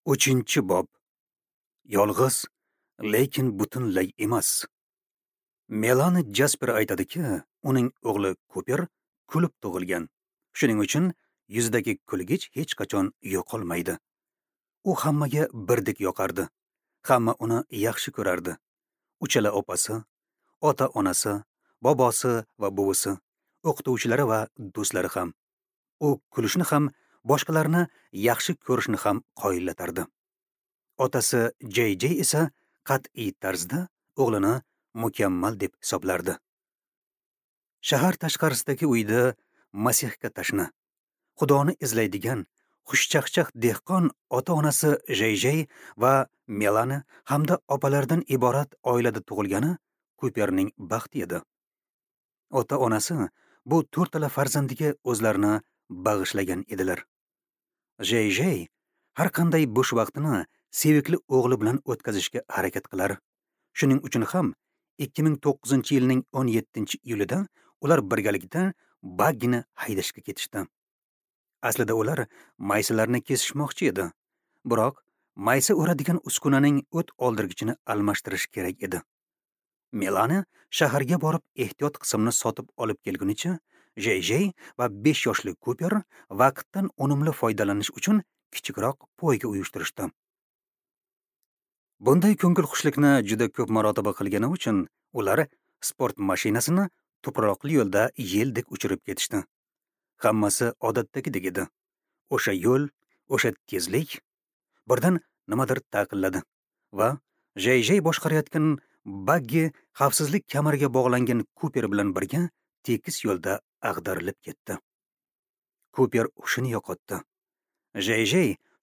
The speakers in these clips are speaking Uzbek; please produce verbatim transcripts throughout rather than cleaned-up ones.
Uchinchi bob. Yolg'iz, lekin butunlay emas. Melani Jasper aytadiki, uning o'g'li Kuper kulib tug'ilgan. Shuning uchun yuzidagi kulgich hech qachon yo'qolmaydi. U hammaga birdek yoqardi. Hamma uni yaxshi ko'rardi. Uchala opasi, ota-onasi, bobosi va buvisi, o'qituvchilari va do'stlari ham. U kulishni ham, boshqalarni yaxshi ko'rishni ham qoyillatardi. Otasi J J esa qat'iy tarzda o'g'lini mukammal deb hisoblardi. Shahar tashqarisidagi uyda Masihga tashna, Xudoni izlaydigan xushchaqchaq dehqon ota-onasi J J va Melani hamda opalaridan iborat oilada tug'ilgani Kuperning baxti edi. Ota-onasi bu to'rtala farzandiga o'zlarini bag'ishlagan edilar. J J har qanday bo'sh vaqtini sevikli o'g'li bilan o'tkazishga harakat qilar. Shuning uchun ham ikki ming to'qqizinchi yilning o'n yettinchi iyulida ular birgalikda baggini haydashga ketishdi. Aslida ular maysalarni kesishmoqchi edi. Biroq maysa o'radigan uskunaning o't oldirgichini almashtirish kerak edi. Melani shaharga borib ehtiyot qismini sotib olib kelgunicha J J va besh yoshli Kuper vaqtdan unumli foydalanish uchun kichikroq poyga uyushtirishdi. Bunday ko'ngilxushlikni juda ko'p marotaba qilgani uchun ular sport mashinasini tuproqli yo'lda yeldek uchirib ketishdi. Hammasi odatdagidek edi. O'sha yo'l, o'sha tezlik. Birdan nimadir taqilladi va J J boshqarayotgan baggi xavfsizlik kamariga bog'langan Kuper bilan birga tekis yo'lda ag'darilib ketdi. Kuper hushini yo'qotdi. J J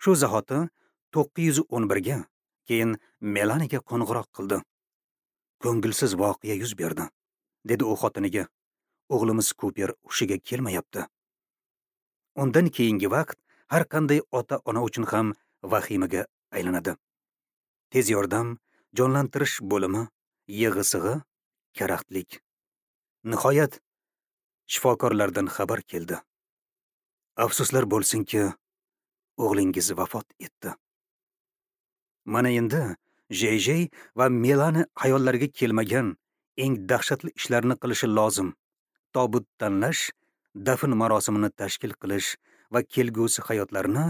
shu zahoti to'qqiz yuz o'n birga, keyin Melaniga qo'ng'iroq qildi. Ko'ngilsiz voqea yuz berdi, dedi u xotiniga. O'g'limiz Kuper hushiga kelmayapti. Undan keyingi vaqt har qanday ota-ona uchun ham vahimaga aylanadi. Tez yordam, jonlantirish bo'limi, yig'i-sig'i, karaxtlik. Nihoyat shifokorlardan xabar keldi. Afsuslar bo'lsinki, o'g'lingiz vafot etdi. Mana endi J J va Melani hayollariga kelmagan eng dahshatli ishlarni qilishi lozim. Tobut tanlash, dafn marosimini tashkil qilish va kelgusi hayotlarini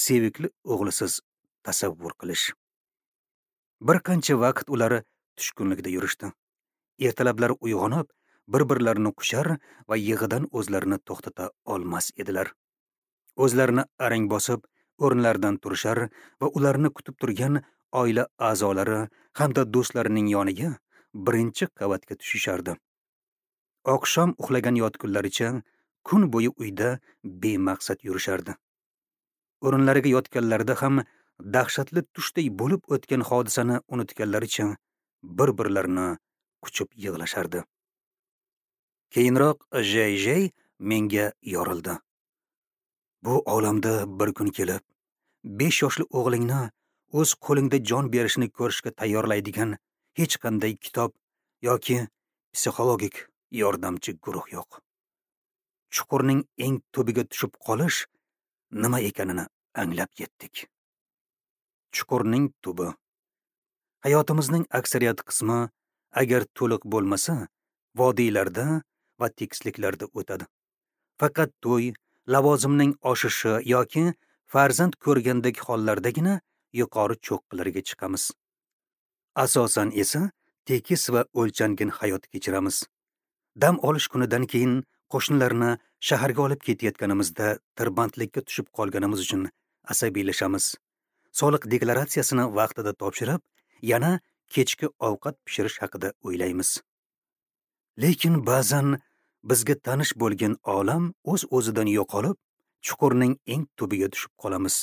sevikli o'g'lisiz tasavvur qilish. Bir qancha vaqt ular tushkunlikda yurishdi. Ertalablar uyg'onib, bir-birlarini quchar va yig'idan o'zlarini to'xtata olmas edilar. O'zlarini arang bosib, o'rinlaridan turishar va ularni kutib turgan oila a'zolari hamda do'stlarining yoniga birinchi qavatga tushishardi. Oqshom uxlagan yotgunlaricha kun bo'yi uyda bemaqsad yurishardi. O'rinlariga yotganlarida ham dahshatli tushday bo'lib o'tgan hodisani unutganlaricha bir-birlarini quchib yig'lashardi. Keyinroq J J menga yorildi. Bu olamda bir kun kelib, besh yoshli o'g'lingni o'z qo'lingda jon berishini ko'rishga tayyorlaydigan hech qanday kitob yoki psixologik yordamchi guruh yo'q. Chuqurning eng tubiga tushib qolish nima ekanini anglab yetdik. Chuqurning tubi. Hayotimizning aksariyat qismi agar to'liq bo'lmasa, vodiylarda va tekisliklarda o'tadi. Faqat to'y, lavozimning oshishi yoki farzand ko'rgandek hollardagina yuqori cho'qqilarga chiqamiz. Asosan esa tekis va o'lchangan hayot kechiramiz. Dam olish kunidan keyin qo'shnilarni shaharga olib ketayotganimizda tirbandlikka tushib qolganimiz uchun asabiylashamiz. Soliq deklaratsiyasini vaqtida topshirib, yana kechki ovqat pishirish haqida o'ylaymiz. Lekin ba'zan bizga tanish bo'lgan olam o'z-o'zidan yo'qolib, chuqurning eng tubiga tushib qolamiz.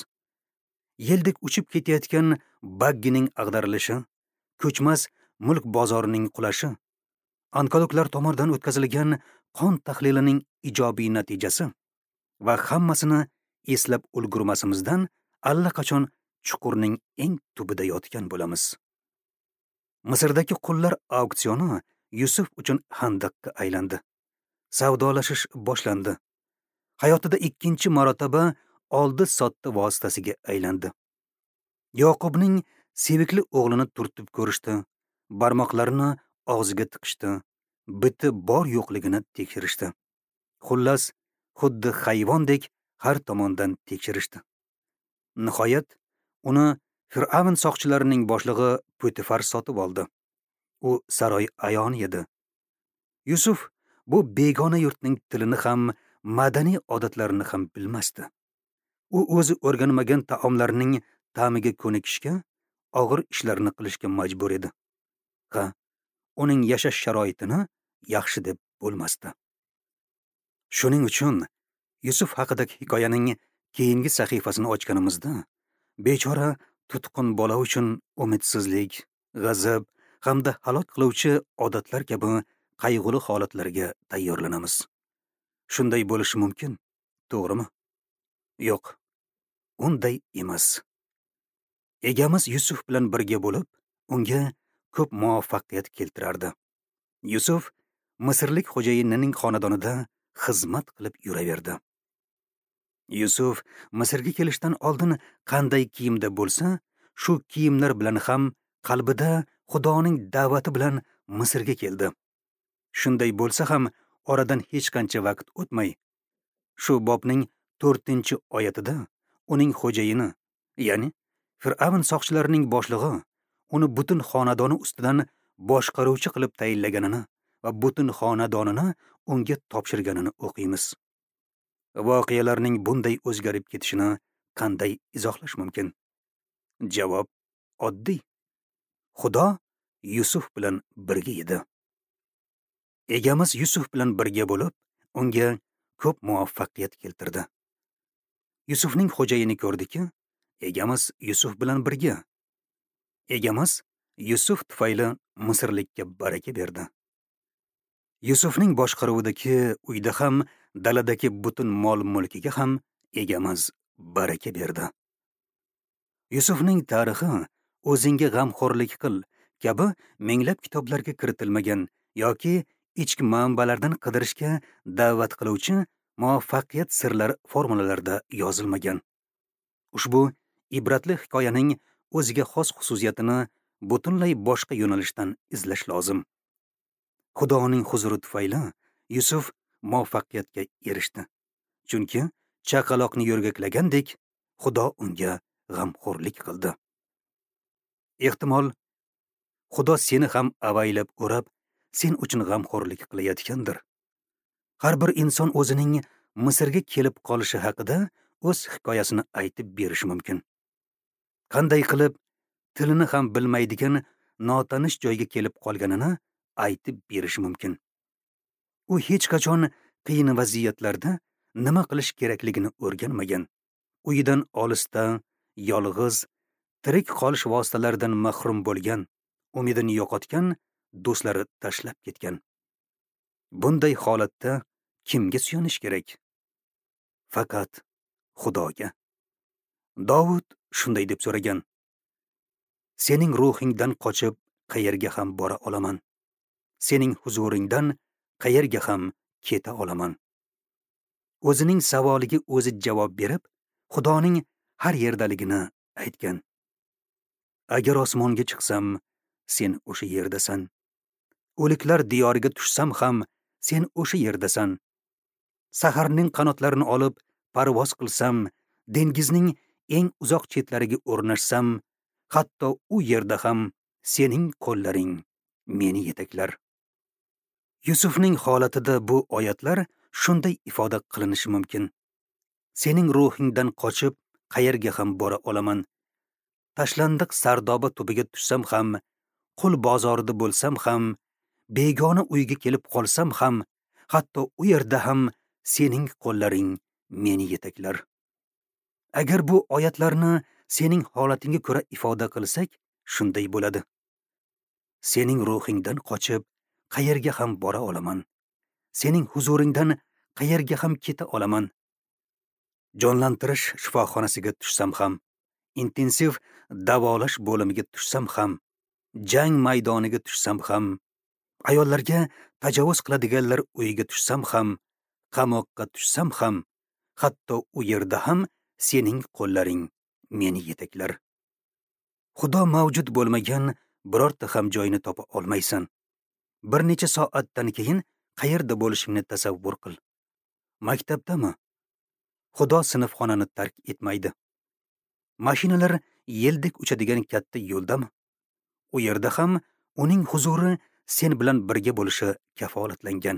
Yeldek uchib ketayotgan baggining ag'darilishi, ko'chmas mulk bozorining qulashi, onkologlar tomonidan o'tkazilgan qon tahlilining ijobiy natijasi va hammasini eslab ulgurmasimizdan allaqachon chuqurning eng tubida yotgan bo'lamiz. Misrdagi qullar auksioni Yusuf uchun handaqqa aylandi. Savdolashish boshlandi. Hayotida ikkinchi marotaba oldi-sotdi vositasiga aylandi. Yoqubning sevikli o'g'lini turtib ko'rishdi, barmoqlarini og'ziga tiqishdi, biti bor yo'qligini tekshirishdi. Xullas, xuddi hayvondek har tomondan tekshirishdi. Nihoyat, uni Fir'avn soqchilarining boshlig'i Potifar sotib oldi. U saroy ayoni edi. Yusuf bu begona yurtning tilini ham, madaniy odatlarini ham bilmasdi. U o'zi o'rganmagan taomlarning ta'miga ko'nikishga, og'ir ishlarni qilishga majbur edi. Ha, uning yashash sharoitini yaxshi deb bo'lmasdi. Shuning uchun Yusuf haqidagi hikoyaning keyingi sahifasini ochganimizda, bechora tutqun bola uchun umidsizlik, g'azab hamda halok qiluvchi odatlar kabi qayg'uli holatlarga tayyorlanamiz. Shunday bo'lishi mumkin, to'g'rimi? Yo'q, unday emas. Egamiz Yusuf bilan birga bo'lib, unga ko'p muvaffaqiyat keltirardi. Yusuf Misrlik xo'jayinining xonadonida xizmat qilib yuraverdi. Yusuf Misrga kelishdan oldin qanday kiyimda bo'lsa, shu kiyimlar bilan ham qalbida Xudoning da'vati bilan Misrga keldi. Shunday bo'lsa ham oradan hech qancha vaqt o'tmay, shu bobning to'rtinchi oyatida uning xo'jayini, ya'ni Fir'avn soqchilarining boshlig'i uni butun xonadoni ustidan boshqaruvchi qilib tayinlaganini va butun xonadonini unga topshirganini o'qiymiz. Voqealarning bunday o'zgarib ketishini qanday izohlash mumkin? Javob oddiy. Xudo Yusuf bilan birga edi. Egamiz Yusuf bilan birga bo'lib, unga ko'p muvaffaqiyat keltirdi. Yusufning xo'jayini ko'rdiki, egamiz Yusuf bilan birga. Egamiz Yusuf tufayli Misrlikka baraka berdi. Yusufning boshqaruvidagi uyda ham, daladagi butun mol-mulkiga ham egamiz baraka berdi. Yusufning tarixi o'zingga g'amxo'rlik qil kabi minglab kitoblarga kiritilmagan yoki ichki manbalardan qidirishga da'vat qiluvchi muvaffaqiyat sirlari formulalarida yozilmagan. Ushbu ibratli hikoyaning o'ziga xos xususiyatini butunlay boshqa yo'nalishdan izlash lozim. Xudoning huzuri tufayli Yusuf muvaffaqiyatga erishdi. Chunki chaqaloqni yo'rgaklagandek Xudo unga g'amxo'rlik qildi. Ehtimol, Xudo seni ham avaylab o'rab, sen uchun g'amxo'rlik qilayotgandir. Har bir inson o'zining Misrga kelib qolishi haqida o'z hikoyasini aytib berishi mumkin. Qanday qilib tilini ham bilmaydigan notanish joyga kelib qolganini aytib berishi mumkin. U hech qachon qiyin vaziyatlarda nima qilish kerakligini o'rganmagan. Uyidan olisda, yolg'iz, tirik qolish vositalaridan mahrum bo'lgan, umidini yo'qotgan, do'stlari tashlab ketgan. Bunday holatda kimga suyanish kerak? Faqat Xudoga. Dovud shunday deb so'ragan: Sening ruhingdan qochib qayerga ham bora olaman? Sening huzuringdan qayerga ham keta olaman? O'zining savoliga o'zi javob berib, Xudoning har yerdaligini aytgan. Agar osmonga chiqsam, sen o'sha yerdasan. O'liklar diyoriga tushsam ham, sen o'sha yerdasan. Saharning qanotlarini olib parvoz qilsam, dengizning eng uzoq chetlariga o'rnashsam, hatto u yerda ham sening qo'llaring meni yetaklar. Yusufning holatida bu oyatlar shunday ifoda qilinishi mumkin. Sening ruhingdan qochib qayerga ham bora olaman? Tashlandiq sardoba tubiga tushsam ham, qul bozorida bo'lsam ham, begona uyga kelib qolsam ham, hatto u yerda ham sening qo'llaring meni yetaklar. Agar bu oyatlarni sening holatingga ko'ra ifoda qilsak, shunday bo'ladi. Sening ruhingdan qochib qayerga ham bora olaman? Sening huzuringdan qayerga ham keta olaman? Jonlantirish shifoxonasiga tushsam ham, intensiv davolash bo'limiga tushsam ham, jang maydoniga tushsam ham, ayollarga tajovuz qiladiganlar uyiga tushsam ham, qamoqqa tushsam ham, hatto u yerda ham sening qo'llaring meni yetaklar. Xudo mavjud bo'lmagan birorta ham joyni topa olmaysan. Bir necha soatdan keyin qayerda bo'lishingni tasavvur qil. Maktabdami? Xudo sinfxonani tark etmaydi. Mashinalar yeldek uchadigan katta yo'ldami? U yerda ham uning huzuri sen bilan birga bo'lishi kafolatlangan.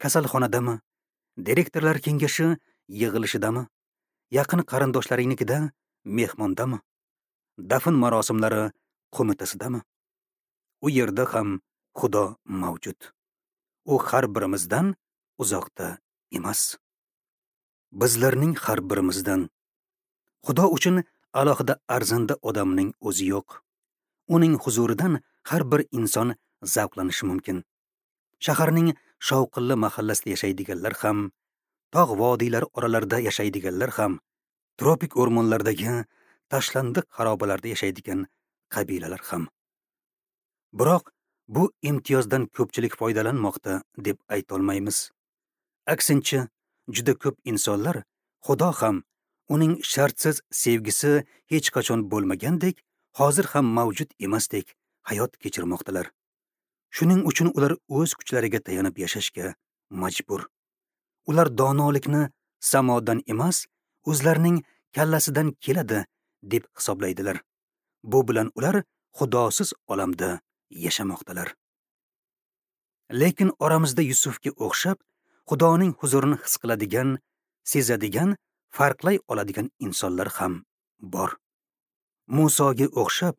Kasalxonadami? Direktorlar kengashi yig'ilishidami? Yaqin qarindoshlaringnikida mehmondami? Dafn marosimlari qo'mitasidami? U yerda ham Xudo mavjud. U har birimizdan uzoqda emas. Bizlarning har birimizdan. Xudo uchun alohida arzanda odamning o'zi yo'q. Uning huzuridan har bir inson zavqlanishi mumkin. Shaharning shovqinli mahallasida yashaydiganlar ham, tog' vodiylari oralarida yashaydiganlar ham, tropik o'rmonlardagi tashlandiq xarobalarda yashaydigan qabilalar ham. Biroq bu imtiyozdan ko'pchilik foydalanmoqda deb ayta olmaymiz. Aksincha, juda ko'p insonlar Xudo ham, uning shartsiz sevgisi hech qachon bo'lmagandek, hozir ham mavjud emasdek hayot kechirmoqdalar. Shuning uchun ular o'z kuchlariga tayanib yashashga majbur. Ular donolikni samodan emas, o'zlarining kallasidan keladi deb hisoblaydilar. Bu bilan ular Xudosiz olamda yashamoqdalar. Lekin oramizda Yusufga o'xshab Xudoning huzurini his qiladigan, sezadigan, farqlay oladigan insonlar ham bor. Musoga o'xshab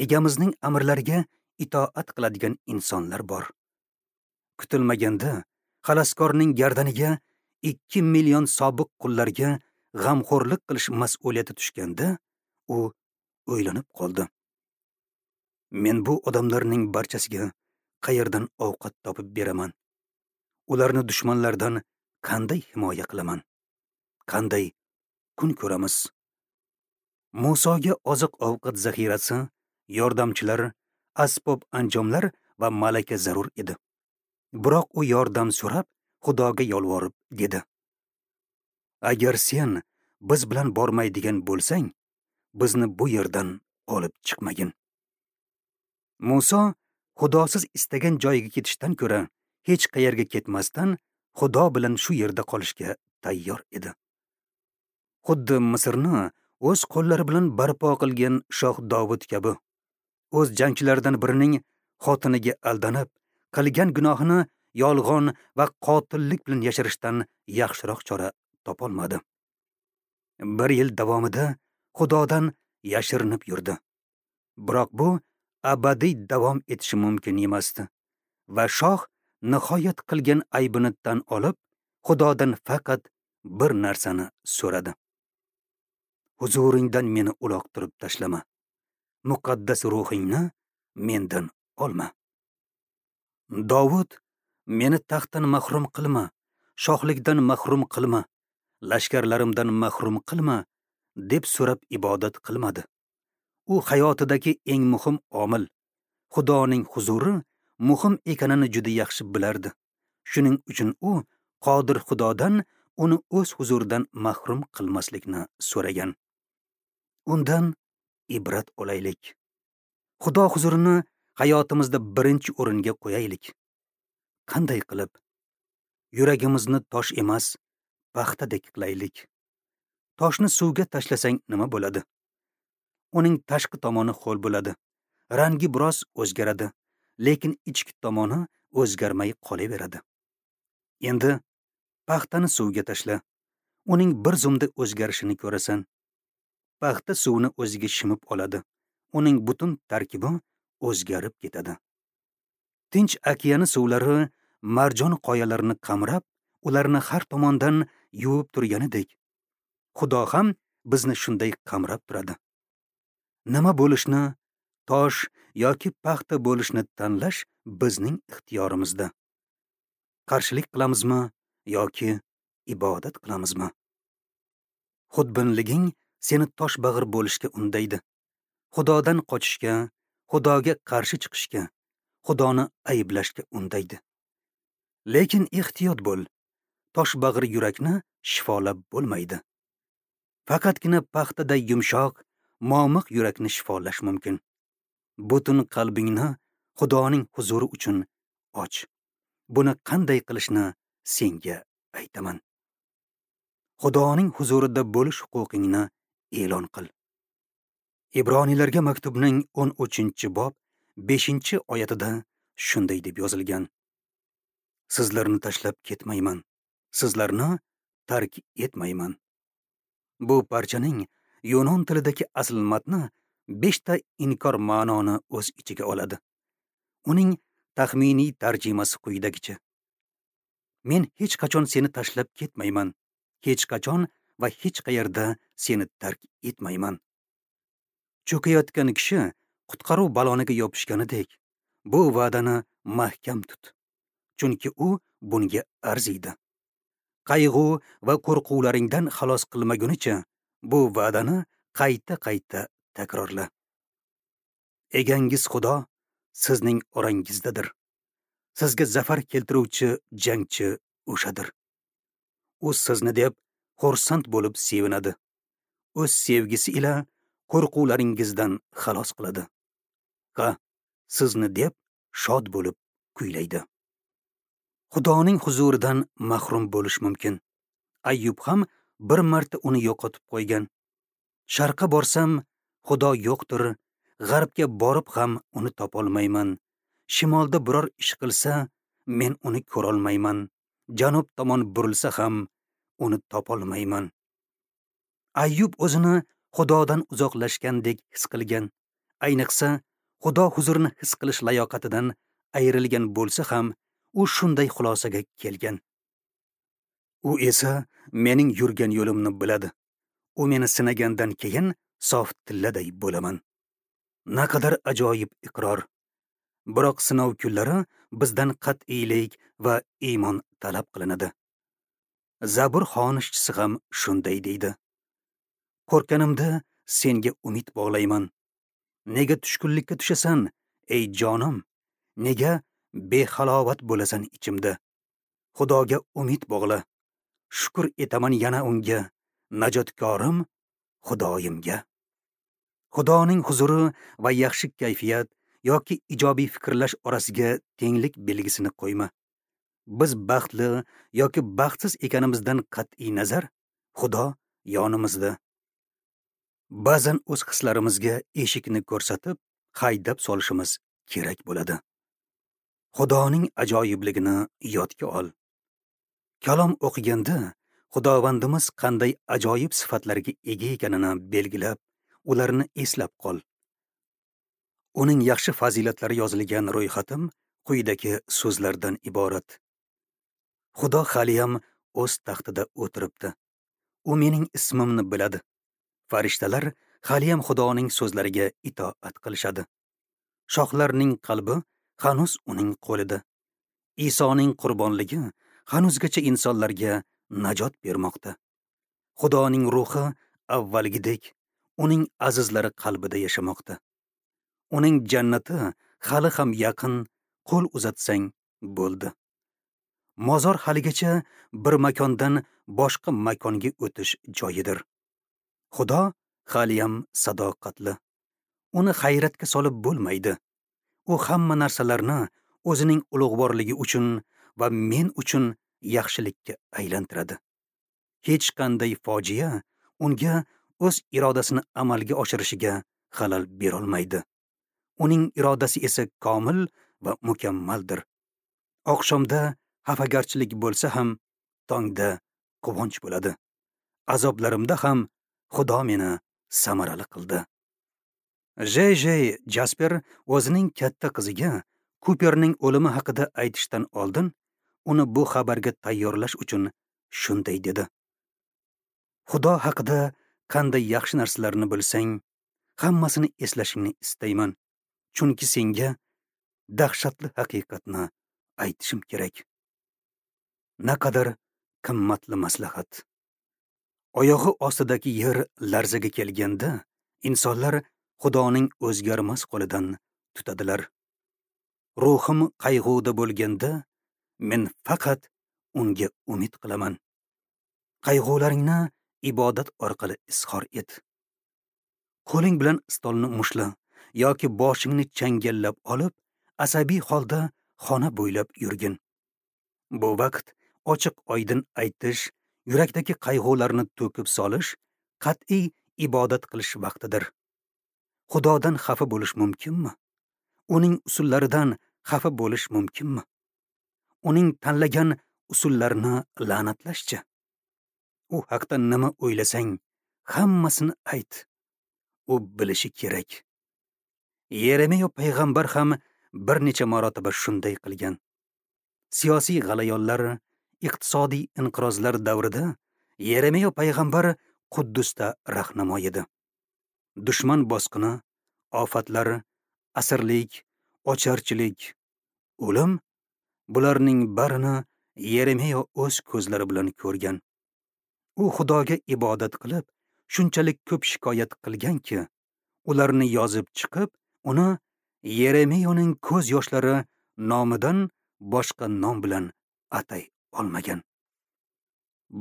egamizning amrlariga itoat qiladigan insonlar bor. Kutilmaganda xaloskorning gardaniga ikki million sobiq qullarga g'amxo'rlik qilish mas'uliyati tushganda u o'ylanib qoldi. Men bu odamlarning barchasiga qayerdan ovqat topib beraman? Ularni dushmanlardan qanday himoya qilaman? Qanday kun ko'ramiz? Musoga oziq-ovqat zaxirasi, yordamchilar, asbob anjomlar va malaka zarur edi. Biroq u yordam so'rab, Xudoga yolvorib dedi: Agar sen biz bilan bormaydigan bo'lsang, bizni bu yerdan olib chiqmagin. Muso Xudosiz istagan joyiga ketishdan ko'ra hech qayerga ketmasdan Xudo bilan shu yerda qolishga tayyor edi. Xuddi Misrni o'z qo'llari bilan barpo qilgan shoh Dovud kabi, o'z jangchilaridan birining xotiniga aldanib, qilgan gunohini yolg'on va qotillik bilan yashirishdan yaxshiroq chora topolmadi. Bir yil davomida Xudodan yashirinib yurdi. Biroq bu abadiy davom etishi mumkin emasdi va shoh nihoyat qilgan aybini tan olib, Xudodan faqat bir narsani so'radi: Huzuringdan meni uloqtirib tashlama. Muqaddas ruhingni mendan olma. Dovud, meni taxtdan mahrum qilma, shohlikdan mahrum qilma, lashkarlarimdan mahrum qilma deb so'rab ibodat qilmadi. U hayotidagi eng muhim omil, Xudoning huzuri muhim ekanini juda yaxshi bilardi. Shuning uchun u qodir Xudodan uni o'z huzuridan mahrum qilmaslikni so'ragan. Undan ibrat olaylik. Xudo huzurini hayotimizda birinchi o'ringa qo'yaylik. Qanday qilib? Yuragimizni tosh emas, paxtadek qilaylik. Toshni suvga tashlasang nima bo'ladi? Uning tashqi tomoni ho'l bo'ladi. Rangi biroz o'zgaradi, lekin ichki tomoni o'zgarmay qolaveradi. Endi paxtani suvga tashla. Uning bir zumda o'zgarishini ko'rasan. Paxta suvni o'ziga shimib oladi. Uning butun tarkibi o'zgarib ketadi. Tinch okeani suvlari marjon qoyalarini qamrab, ularni har tomondan yuvib turganidek, Xudo ham bizni shunday qamrab turadi. Nima bo'lishni, tosh yoki paxta bo'lishni tanlash bizning ixtiyorimizda. Qarshilik qilamizmi yoki ibodat qilamizmi? Xudbinliging seni tosh bag'ir bo'lishga undaydi. Xudodan qochishga, Xudoga qarshi chiqishga, Xudoni ayblashga undaydi. Lekin ehtiyot bo'l. Tosh bag'ir yurakni shifolab bo'lmaydi. Faqatgina paxtaday yumshoq, momiq yurakni shifolash mumkin. Butun qalbingni Xudoning huzuri uchun och. Buni qanday qilishni senga aytaman. Xudoning huzurida bo'lish huquqingni e'lon qil. Ibroniylarga maktubning o'n uchinchi bob beshinchi oyatida shunday deb yozilgan: Sizlarni tashlab ketmayman, sizlarni tark etmayman. Bu parchaning yunon tilidagi asl matni beshta inkor ma'noni o'z ichiga oladi. Uning taxminiy tarjimasi quyidagicha: Men hech qachon seni tashlab ketmayman, hech qachon va hech qayerda seni tark etmayman. Cho'kayotgan kishi qutqaruv baloniga yopishganidek, bu va'dani mahkam tut, chunki u bunga arziydi. Qayg'u va qo'rquvlaringdan xalos qilmagunicha bu va'dani qayta-qayta takrorla. Egangiz Xudo sizning orangizdadir. Sizga zafar keltiruvchi jangchi o'shadir. U sizni deb xursand bo'lib sevinadi. O'z sevgisi ila qo'rquvlaringizdan xalos qiladi. Ha, sizni deb shod bo'lib kuylaydi. Xudoning huzuridan mahrum bo'lish mumkin. Ayyub ham bir marta uni yo'qotib qo'ygan. Sharqqa borsam, Xudo yo'qdir, g'arbga borib ham uni topolmayman. Shimolda biror ish qilsa, men uni ko'rolmayman. Janub tomon burilsa ham uni topolmayman. Ayyub o'zini Xudodan uzoqlashgandek his qilgan. Ayniqsa, Xudo huzurini his qilish layoqatidan ayrilgan bo'lsa ham, u shunday xulosaga kelgan. U esa mening yurgan yo'limni biladi. U meni sinagandan keyin sof tilladay bo'laman. Naqadar ajoyib iqror. Biroq sinov kunlari bizdan qat'iylik va iymon talab qilinadi. Zabur xonishchisi ham shunday deydi: Qo'rqanimda senga umid bog'layman. Nega tushkunlikka tushasan, ey jonim? Nega behalovat bo'lasan ichimda? Xudoga umid bog'la. Shukr etaman yana unga, najotkorim Xudoyimga. Xudoning huzuri va yaxshi kayfiyat yoki ijobiy fikrlash orasiga tenglik belgisini qo'yma. Biz baxtli yoki baxtsiz ekanimizdan qat'iy nazar, Xudo yonimizda. Ba'zan o'z hislarimizga eshikni ko'rsatib, haydab solishimiz kerak bo'ladi. Xudoning ajoyibligini yodga ol. Kalom o'qiganda Xudovandimiz qanday ajoyib sifatlarga ega ekanini belgilab, ularni eslab qol. Uning yaxshi fazilatlari yozilgan ro'yxatim quyidagi so'zlardan iborat. Xudo haliyam o'z taxtida o'tiribdi. U mening ismimni biladi. Farishtalar haliyam Xudoning so'zlariga itoat qilishadi. Shohlarning qalbi hanuz uning qo'lida. Isoning qurbonligi hanuzgacha insonlarga najot bermoqda. Xudoning ruhi avvalgidek uning azizlari qalbida yashamoqda. Uning jannati hali ham yaqin, qo'l uzatsang bo'ldi. Mozor haligacha bir makondan boshqa makonga o'tish joyidir. Xudo haliyam sadoqatli. Uni hayratga solib bo'lmaydi. U hamma narsalarni o'zining ulug'vorligi uchun va men uchun yaxshilikka aylantiradi. Hech qanday fojia unga o'z irodasini amalga oshirishiga xalal berolmaydi. Uning irodasi esa komil va mukammaldir. Oqshomda xafagarchilik bo'lsa ham, tongda quvonch bo'ladi. Azoblarimda ham Xudo meni samarali qildi. J J Jasper o'zining katta qiziga Kuperning o'limi haqida aytishdan oldin uni bu xabarga tayyorlash uchun shunday dedi: Xudo haqida qanday yaxshi narsalarni bilsang, hammasini eslashingni istayman, chunki senga dahshatli haqiqatni aytishim kerak. Naqadar qimmatli maslahat. Oyog'i ostidagi yer larzaga kelganda, insonlar Xudoning o'zgarmas qo'lidan tutadilar. Ruhim qayg'uda bo'lganda, men faqat unga umid qilaman. Qayg'ularingni ibodat orqali izhor et. Qo'ling bilan stolni mushla yoki boshingni changallab olib, asabiy holda xona bo'ylab yurgin. Bu vaqt ochiq oydin aytish, yurakdagi qayg'ularni to'kib solish, qat'iy ibodat qilish vaqtidir. Xudodan xafa bo'lish mumkinmi? Uning usullaridan xafa bo'lish mumkinmi? Uning tanlagan usullarini la'natlashchi? U haqda nima o'ylasang, hammasini ayt. U bilishi kerak. Yeremiya payg'ambar ham bir necha marotaba shunday qilgan. Siyosiy g'alayonlar, iqtisodiy inqirozlar davrida Yeremiya payg'ambar Quddusda rahnamo edi. Dushman bosqini, ofatlar, asirlik, ocharchilik, o'lim, bularning barini Yeremiya o'z ko'zlari bilan ko'rgan. U Xudoga ibodat qilib, shunchalik ko'p shikoyat qilganki, ularni yozib chiqib, uni Yeremiyaning ko'z yoshlari nomidan boshqa nom bilan atay olmagan.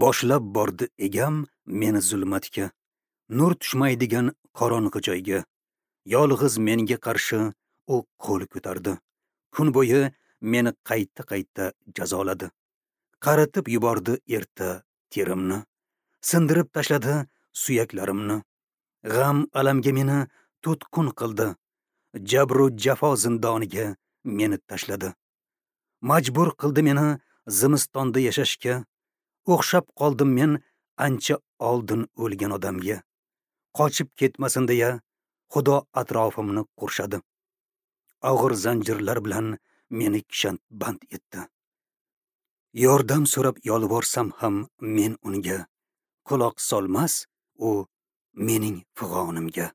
Boshlab bordi egam meni zulmatga, nur tushmaydigan qorong'i joyga. Yolg'iz menga qarshi u qo'l ko'tardi. Kun bo'yi meni qayta-qayta jazoladi. Qaritib yubordi erta terimni, sindirib tashladi suyaklarimni. G'am alamga meni tutqun qildi. Jabru jafo zindoniga meni tashladi. Majbur qildi meni zimistonda yashashga. O'xshab qoldim men ancha oldin o'lgan odamga. Qochib ketmasin deya Xudo atrofimni qurshadi. Og'ir zanjirlar bilan meni kishanband etdi. Yordam so'rab yolvorsam ham men unga quloq solmas, u mening fig'onimga.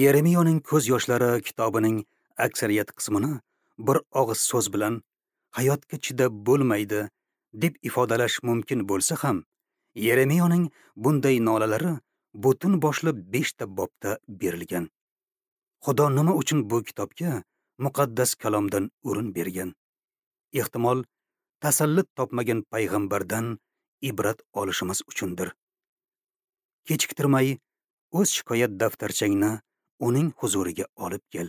Yeremiyaning ko'z yoshlari kitobining aksariyat qismini bir og'iz so'z bilan hayotga chidab bo'lmaydi deb ifodalash mumkin bo'lsa ham, Yeremiyaning bunday nolalari butun boshli beshta bobda berilgan. Xudo nima uchun bu kitobga muqaddas kalomdan o'rin bergan? Ehtimol, tasalli topmagan payg'ambardan ibrat olishimiz uchundir. Kechiktirmay o'z shikoyat daftarchangni uning huzuriga olib kel.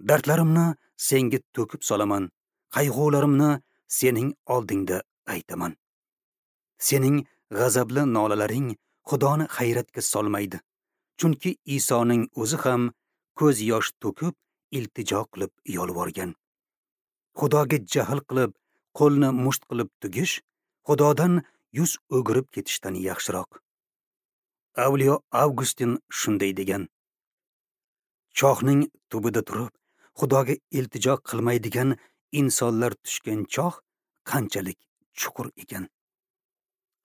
Dardlarimni senga to'kib solaman, qayg'ularimni sening oldingda aytaman. Sening g'azabli nolalaring Xudoni hayratga solmaydi. Chunki Isoning o'zi ham ko'z yosh to'kib, iltijo qilib yolvorgan. Xudoga jahl qilib, qo'lni musht qilib tugish, Xudodan yuz o'girib ketishdan yaxshiroq. Avliyo Avgustin shunday degan: Chohning tubida turib, Xudoga iltijo qilmaydigan insonlar tushgan choh qanchalik chuqur ekan.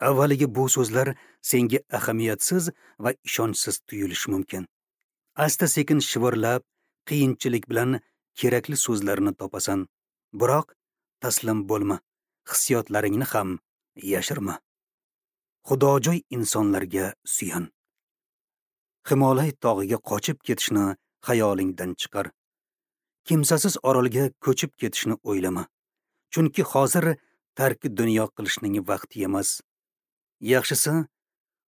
Avvaliga bu so'zlar senga ahamiyatsiz va ishonchsiz tuyulishi mumkin. Asta-sekin shivirlab, qiyinchilik bilan kerakli so'zlarni topasan. Biroq taslim bo'lma, hissiyotlaringni ham yashirma. Xudojo'y insonlarga suyan. Himolay tog'iga qochib ketishni xayolingdan chiqar. Kimsasiz orolga ko'chib ketishni o'ylama. Chunki hozir tarki dunyo qilishning vaqti emas. Yaxshisi,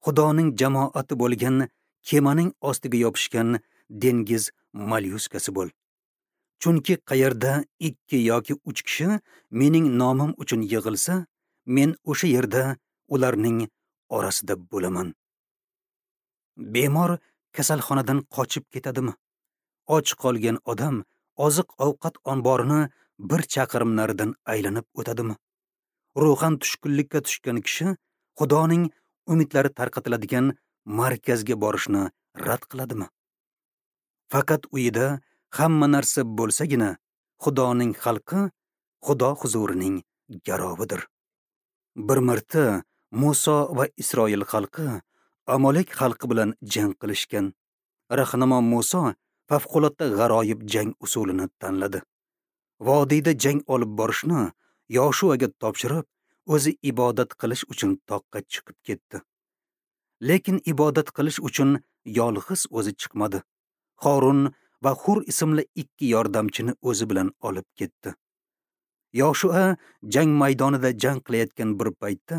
Xudoning jamoati bo'lgan kemaning ostiga yopishgan dengiz molyuskasi bo'l. Chunki qayerda ikki yoki uch kishi mening nomim uchun yig'ilsa, men o'sha yerda ularning orasida bo'laman. Bemor kasalxonadan qochib ketadimi? Och qolgan odam oziq-ovqat omborini bir chaqirim naridan aylanib o'tadimi? Ruhan tushkunlikka tushgan kishi Xudoning umidlari tarqatiladigan markazga borishni rad qiladimi? Faqat uyida hamma narsa bo'lsagina, Xudoning xalqi Xudo huzurining garovidir. Bir marta Muso va Isroil xalqi Amalek xalqi bilan jang qilishgan. Rahnamo Muso favqulodda g'aroyib jang usulini tanladi. Vodiyda jang olib borishni Yoshuaga topshirib, o'zi ibodat qilish uchun toqqa chiqib ketdi. Lekin ibodat qilish uchun yolg'iz o'zi chiqmadi. Xorun va Hur ismli ikki yordamchini o'zi bilan olib ketdi. Yoshua jang maydonida jang qilayotgan bir paytda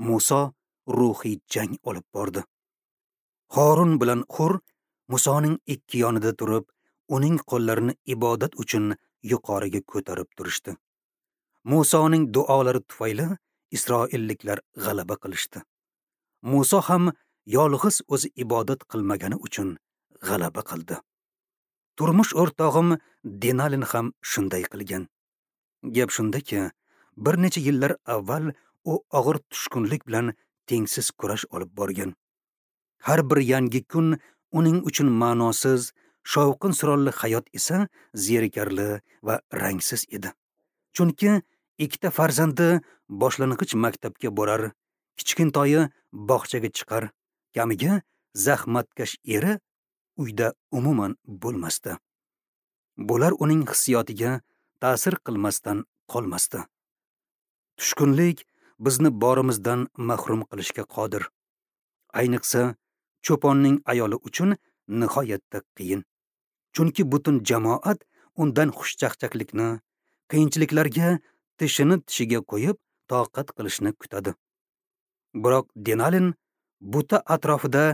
Muso ruhiy jang olib bordi. Horun bilan Hur Musoning ikki yonida turib, uning qo'llarini ibodat uchun yuqoriga ko'tarib turishdi. Musoning duolari tufayli Isroilliklar g'alaba qilishdi. Muso ham yolg'iz o'zi ibodat qilmagani uchun g'alaba qildi. Turmush o'rtog'im Denalin ham shunday qilgan. Gap shundaki, bir necha yillar avval u og'ir tushkunlik bilan tengsiz kurash olib borgan. Har bir yangi kun uning uchun ma'nosiz, shovqin-suronli hayot esa zerikarli va rangsiz edi. Chunki ikkita farzandi boshlang'ich maktabga borar, kichkintoyi bog'chaga chiqar, kamiga zahmatkash eri uyda umuman bo'lmasdi. Bular uning hissiyotiga ta'sir qilmasdan qolmasdi. Tushkunlik bizni borimizdan mahrum qilishga qodir. Ayniqsa, cho'ponning ayoli uchun nihoyatda qiyin. Chunki butun jamoat undan xushchaqchaqlikni, qiyinchiliklarga tishini tishiga qo'yib toqat qilishni kutadi. Biroq Denalin buta atrofida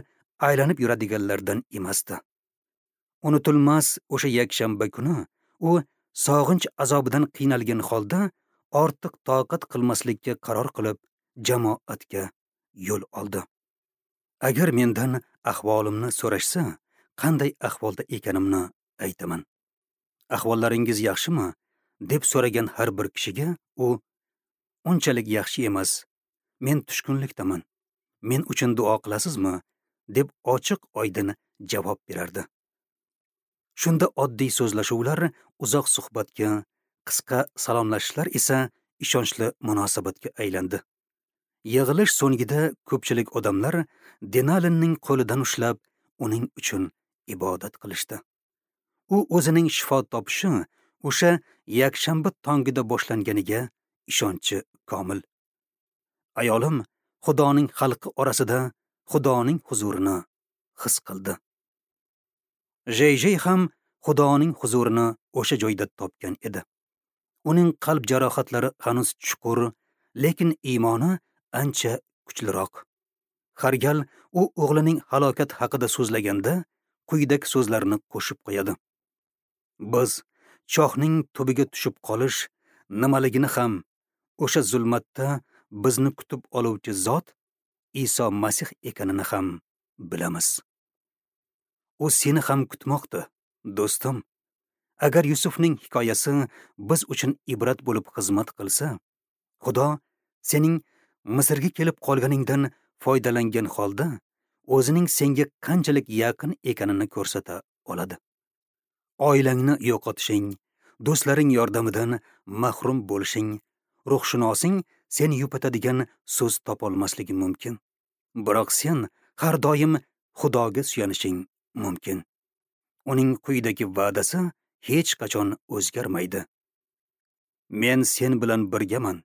aylanib yuradiganlardan emasdi. Unutilmas o'sha yakshanba kuni u sog'inch azobidan qiynalgan holda ortiq toqat qilmaslikka qaror qilib jamoatga yo'l oldi. Agar mendan ahvolimni so'rashsa, qanday ahvolda ekanimni aytaman. Ahvollaringiz yaxshimi? deb so'ragan har bir kishiga u unchalik yaxshi emas, men tushkunlikdaman, men uchun duo qilasizmi? deb ochiq oydin javob berardi. Shunda oddiy so'zlashuvlar uzoq suhbatga, qisqa salomlashishlar esa ishonchli munosabatga aylandi. Yig'ilish so'ngida ko'pchilik odamlar Denalinning qo'lidan ushlab, uning uchun ibodat qilishdi. U o'zining shifo topishi o'sha yakshanba tongida boshlanganiga ishonchi komil. Ayolim Xudoning xalqi orasida Xudoning huzurini his qildi. Jey-Jey ham Xudoning huzurini o'sha joyda topgan edi. Uning qalb jarohatlari hanuz chuqur, lekin iymoni ancha kuchliroq. Har gal u o'g'lining halokat haqida so'zlaganda quyidagi so'zlarni qo'shib qo'yadi. Biz chohning tubiga tushib qolish nimaligini ham, o'sha zulmatda bizni kutib oluvchi zot Iso Masih ekanini ham bilamiz. U seni ham kutmoqda, do'stim. Agar Yusufning hikoyasi biz uchun ibrat bo'lib xizmat qilsa, Xudo sening Misrga kelib qolganingdan foydalangan holda o'zining senga qanchalik yaqin ekanini ko'rsata oladi. Oilangni yo'qotishing, do'stlaring yordamidan mahrum bo'lishing, ruhshunosing seni yupatadigan so'z topolmasligi mumkin. Biroq sen har doim Xudoga suyanishing mumkin. Uning quyidagi va'dasi hech qachon o'zgarmaydi. Men sen bilan birgaman.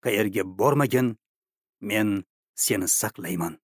Qayerga bormagin, men seni saqlayman.